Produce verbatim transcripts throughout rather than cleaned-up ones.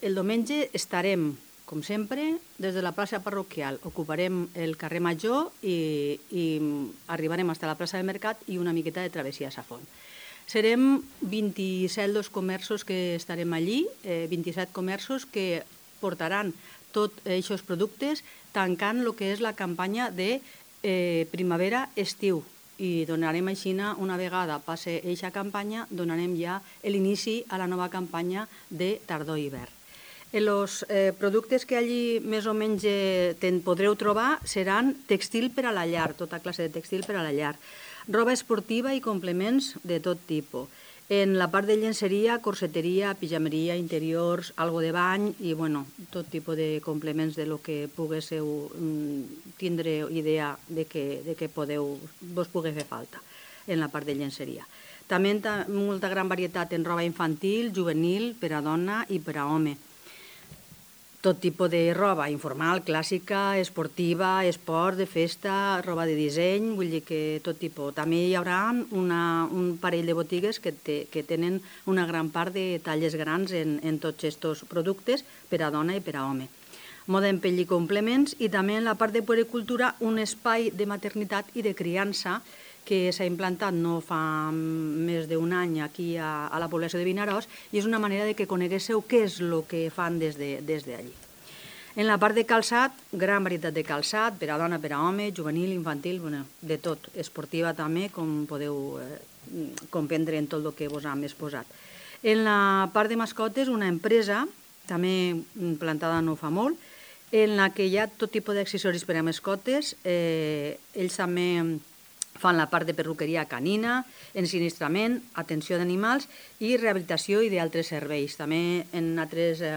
el diumenge estarem, com sempre, des de la plaça parroquial. Ocuparem el carrer Major i, i arribarem fins a la plaça del Mercat i una miqueta de travessia a Safont. Serem vint-i-set els comerços que estarem allí, eh, vint-i-set comerços que portaran tots aquests productes tancant el que és la campanya de eh, primavera-estiu. I donarem així, una vegada passi aquesta campanya, donarem ja l'inici a la nova campanya de tardor-hivern. Els eh, productes que allí més o menys eh, podreu trobar seran textil per a la llar, tota classe de textil per a la llar, roba esportiva i complements de tot tipus. En la part de llenceria, corseteria, pijameria, interiors, algo de bany i bueno, tot tipus de complements de lo que poguéssiu tindre idea de que, de que podeu, vos pugui fer falta en la part de llenceria. També molta gran varietat en roba infantil, juvenil, per a dona i per a home. Tot tipus de roba, informal, clàssica, esportiva, esport, de festa, roba de disseny, vull dir que tot tipus. També hi haurà una, un parell de botigues que, te, que tenen una gran part de talles grans en, en tots aquests productes per a dona i per a home. Moda en pell i complements i també en la part de puericultura un espai de maternitat i de criança que s'ha implantat no fa més d'un any aquí a, a la població de Vinaròs i és una manera de que coneguéssiu què és el que fan des d'allí. De, des en la part de calçat, gran varietat de calçat, per a dona, per a home, juvenil, infantil, bueno, de tot, esportiva també, com podeu eh, comprendre en tot el que vos hem exposat. En la part de mascotes, una empresa, també plantada no fa molt, en la que hi ha tot tipus d'accessoris per a mascotes, eh, ells també fan la part de perruqueria canina, ensinistrament, atenció d'animals i rehabilitació i d'altres serveis. També en altres eh,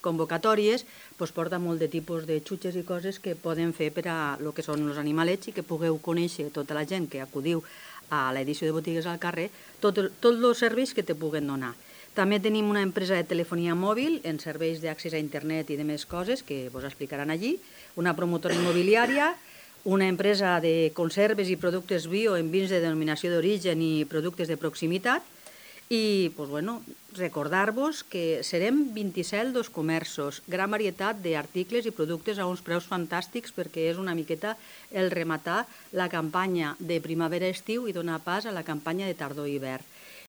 convocatòries pues, porta molt de tipus de xutxes i coses que poden fer per a el que són els animalets i que pugueu conèixer tota la gent que acudiu a l'edició de botigues al carrer, tots tot els serveis que te puguen donar. També tenim una empresa de telefonia mòbil en serveis d'accés a internet i de més coses que vos explicaran allí, una promotora immobiliària, una empresa de conserves i productes bio en vins de denominació d'origen i productes de proximitat i pues, bueno, recordar-vos que serem vint-i-set dels comerços, gran varietat d'articles i productes a uns preus fantàstics perquè és una miqueta el rematar la campanya de primavera-estiu i donar pas a la campanya de tardor-hivern.